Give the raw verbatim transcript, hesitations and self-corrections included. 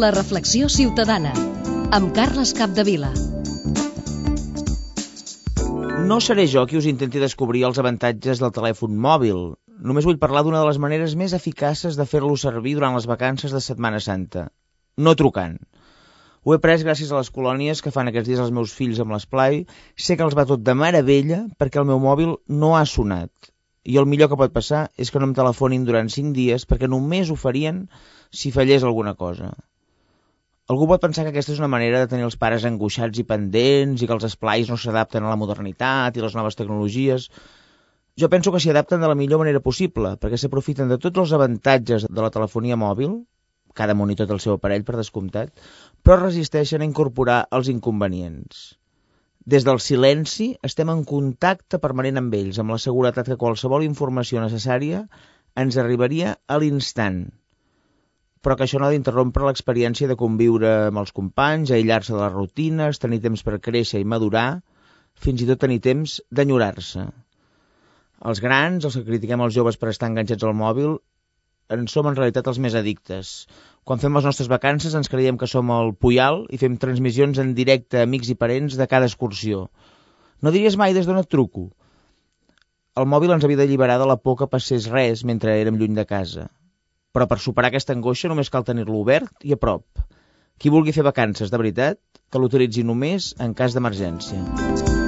La reflexió ciutadana, amb Carles Capdevila. No seré jo qui us intenti descobrir els avantatges del telèfon mòbil. Només vull parlar d'una de les maneres més eficaces de fer-lo servir durant les vacances de Setmana Santa. No trucant. Ho he pres gràcies a les colònies que fan aquests dies els meus fills amb l'esplai. Sé que els va tot de meravella perquè el meu mòbil no ha sonat. I el millor que pot passar és que no em telefonin durant cinc dies perquè només ho farien si fallés alguna cosa. Algú pot pensar que aquesta és una manera de tenir els pares angoixats i pendents i que els esplais no s'adapten a la modernitat i les noves tecnologies. Jo penso que s'hi adapten de la millor manera possible perquè s'aprofiten de tots els avantatges de la telefonia mòbil, cada monitor té el seu aparell per descomptat, però resisteixen a incorporar els inconvenients. Des del silenci estem en contacte permanent amb ells, amb la seguretat que qualsevol informació necessària ens arribaria a l'instant. Però que això no ha d'interrompre l'experiència de conviure amb els companys, aïllar-se de les rutines, tenir temps per créixer i madurar, fins i tot tenir temps d'enyorar-se. Els grans, els que critiquem els joves per estar enganxats al mòbil, en som en realitat els més addictes. Quan fem les nostres vacances ens creiem que som el Puyal i fem transmissions en directe a amics i parents de cada excursió. No diries mai des d'on et truco. El mòbil ens havia d'alliberar de la por que passés res mentre érem lluny de casa. Però per superar aquesta angoixa només cal tenir-lo obert i a prop. Qui vulgui fer vacances de veritat, que l'utilitzi només en cas d'emergència.